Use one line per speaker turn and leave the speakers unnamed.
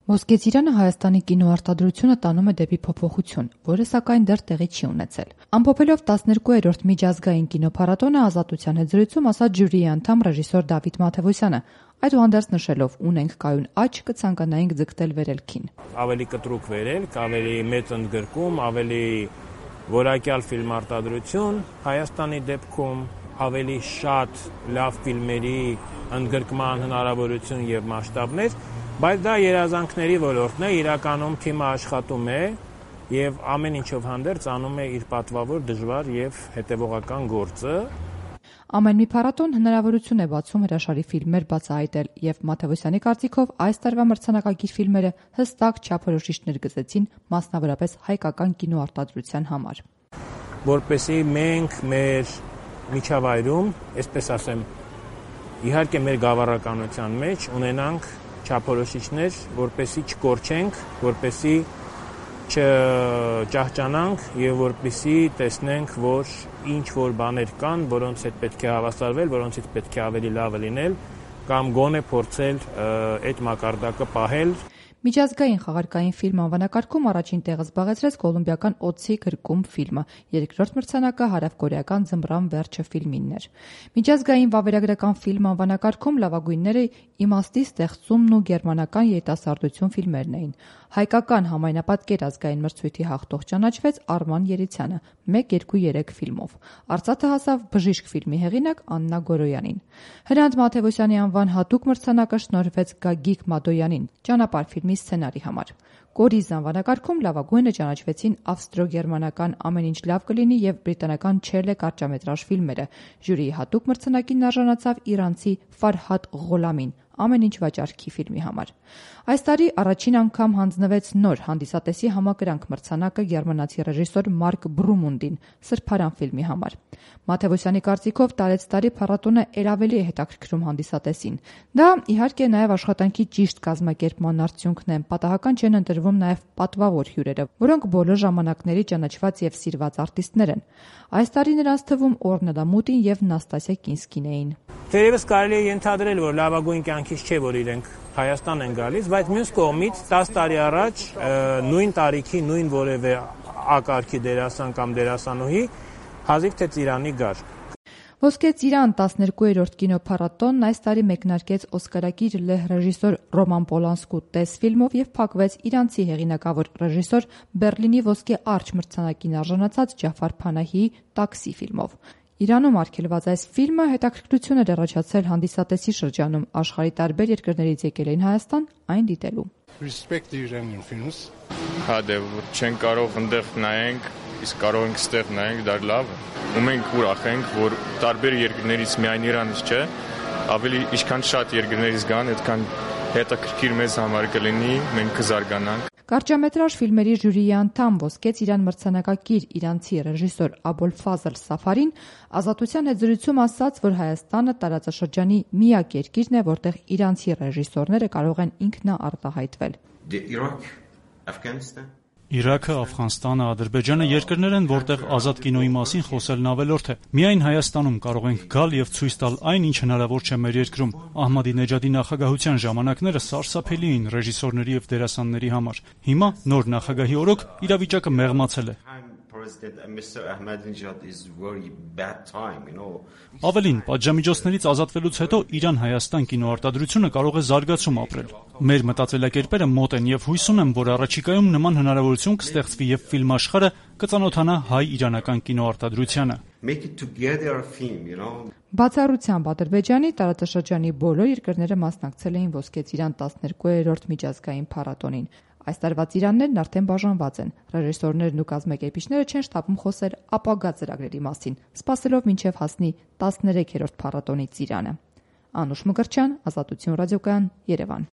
Ոսկե ծիրանը Հայաստանի կինոարտադրությունը տանում է դեպի փոփոխություն, որը սակայն դեռ տեղի չի ունեցել։ Ամփոփելով 12-րդ միջազգային կինոփառատոնը Ազատության հետ զրույցում ասաց ժյուրիի անդամ ռեժիսոր Դավիթ Մաթևոսյանը, այդուհանդերձ նշելով ունենք կայուն աճ, կցանկանայինք ձգտել վերելքին։
Ավելի կտրուկ վերելք, ավելի մեծ ընդգրկում, ավելի որակյալ ֆիլմարտադրություն Հայաստանի դեպքում, ավելի շատ լավ ֆիլմերի ընդգրկման հնարավորություն եւ մասշտաբներ, բայց դա երազանքների ոլորտն է, իրականում թիմը աշխատում է եւ ամեն ինչով հանդերձ անում է իր պատվավոր, դժվար եւ հետեւողական գործը։
Ամեն մի փառատոն հնարավորություն է բացում հրաշալի ֆիլմեր բացահայտել եւ Մաթևոսյանի կարծիքով այս տարվա մրցանակակիր ֆիլմերը հստակ չափորոշիչներ գծեցին մասնավորապես հայկական կինոարտադրության համար։
Որպեսզի մենք մեր միջավայրում, այսպես ասեմ, իհարկե մեր գավառականության մեջ ունենանք չափորոշիչներ, որպեսզի չկորչենք, որպեսզի չճահճանանք եւ որպեսզի տեսնենք, որ ինչ որ բաներ կան, որոնց հետ պետք է հավասարվել, որոնցից պետք է ավելի լավը լինել, կամ գոնե փորձել այդ մակարդակը պահել։
Միջազգային խաղարկային ֆիլմ անվանակարգում առաջին տեղը զբաղեցրեց կոլումբիական «Օձի գրկում» ֆիլմը, երկրորդ մրցանակը հարավկորեական «Ձմռան վերջը» ֆիլմինն էր։ Միջազգային վավերագրական ֆիլմ անվանակարգում լավագույնները «Իմաստի ստեղծումն» ու «Գերմանական երիտասարդություն» ֆիլմերն էին։ Հայկական համայնապատկեր ազգային մրցույթի հաղթող ճանաչվեց Արման Երիցյանը 1-2-3 ֆիլմով։ Արծաթը հասավ «Բժիշկ» ֆիլմի հեղինակ Աննա Գորոյանին։ Հրանտ Մաթևոսյանի անվան հատուկ մրցանակը շնորհվեց Գագիկ Մադոյանին «Ճանապարհ» ֆիլմի սցենարի համար։ «Կորիզ» անվանակարգում լավագույնը ճանաչվեցին ավստրո-գերմանական «Ամեն ինչ լավ կլինի» եւ բրիտանական «Չելե» կարճամետրաժ ֆիլմերը։ Ժյուրիի հատուկ մրցանակին արժանացավ իրանցի Ֆարհադ Ղոլամին «Ամեն ինչ վաճառքի» ֆիլմի համար։ Այս տարի առաջին անգամ հանձնվեց նոր հանդիսատեսի համակրանք մրցանակը գերմանացի ռեժիսոր Մարկ Բրումունդին «Սրբարան» ֆիլմի համար։ Մաթևոսյանի կարծիքով տարեցտարի փառատոնը ավելի է հետաքրքրում հանդիսատեսին։ Դա իհարկե նաև աշխատանքի ճիշտ կազմակերպման արդյունքն է։ Պատահական չեն ընտրվում նաև պատվավոր հյուրերը, որոնք բոլոր ժամանակների ճանաչված եւ սիրված արտիստներ են։ Այս տարի նրանց թվում Օրնելա Մուտին եւ Նաստասիա Կինսկին էին։
Թերևս կարելի է ենթադրել, որ լավագույն կյանքից չէ, որ իրենք Հայաստան են գալիս, բայց մյուս կողմից 10 տարի առաջ նույն տարիքի նույն որևէ ակարգի դերասան կամ դերասանուհի հազիվ թե Ծիրանի գար։
Ոսկե ծիրան 12-րդ կինոփառատոնն այս տարի մեկնարկեց օսկարակիր լեհ ռեժիսոր Ռոման Պոլանսկու «Տես» ֆիլմով եւ փակվեց իրանցի հեղինակավոր ռեժիսոր Բերլինի ոսկե արջ մրցանակին արժանացած Ջաֆար Փանահիի «Տաքսի» ֆիլմով։ Իրանում արգելված այս ֆիլմը հետաքրքրություն էր առաջացել հանդիսատեսի շրջանում, աշխարհի տարբեր երկրներից եկել էին Հայաստան այն դիտելու։
Հա դե չեն կարող այնտեղ նայենք, իսկ կարող ենք ստեղ նայենք, դա լավ է։ Ու մենք ուրախ ենք, որ տարբեր երկրներից միայն Իրանից չէ, ավելի ինչքան շատ երկրներից գան, այդքան հետաքրքիր մեզ համար կլինի, մենք կզարգանանք։
Կարճամետրաժ ֆիլմերի ժյուրիի անդամ ոսկե ծիրան մրցանակակիր իրանցի ռեժիսոր Աբոլֆազլ Սաֆարին Ազատության հետ զրույցում ասաց, որ Հայաստանը տարածաշրջանի միակ երկիրն է, որտեղ իրանցի ռեժիսորները կարող են ինքնաարտահայտվել։
Իրաքը, Աֆղանստանը, Ադրբեջանը երկրներ են, որտեղ ազատ կինոյի մասին խոսելն ավելորդ է։ Միայն Հայաստանում կարող ենք գալ եւ ցույց տալ այն, ինչ հնարավոր չէ մեր երկրում։ Ահմադինեջադի նախագահության ժամանակները սարսափելի էին ռեժիսորների եւ դերասանների համար։ Հիմա նոր նախագահի օրոք իրավիճակը մեղմացել է։ Ավելին, պատժամիջոցներից ազատվելուց հետո Իրան-Հայաստան կինոարտադրությունը կարող է զարգացում ապրել։ Մեր մտածելակերպերը մոտ են եւ հույս ունեմ, որ առաջիկայում նման հնարավորություն կստեղծվի եւ ֆիլմաշխարհը կծանոթանա հայ-իրանական կինոարտադրությանը։
Բացառությամբ Ադրբեջանի տարածաշրջանի բոլոր երկրները մասնակցել էին ոսկե ծիրան 12-րդ միջազգային փառատոնին։ Այս տարվա ծիրաններն արդեն բաժանված են։ Ռեժիսորներն ու կազմակերպիչները չեն շտապում խոսել ապագա ծրագրերի մասին, սպասելով մինչև հասնի 13-րդ փառատոնի ծիրանը։ Անուշ Մկրտչյան, Ազատություն ռադիոկայան, Երևան։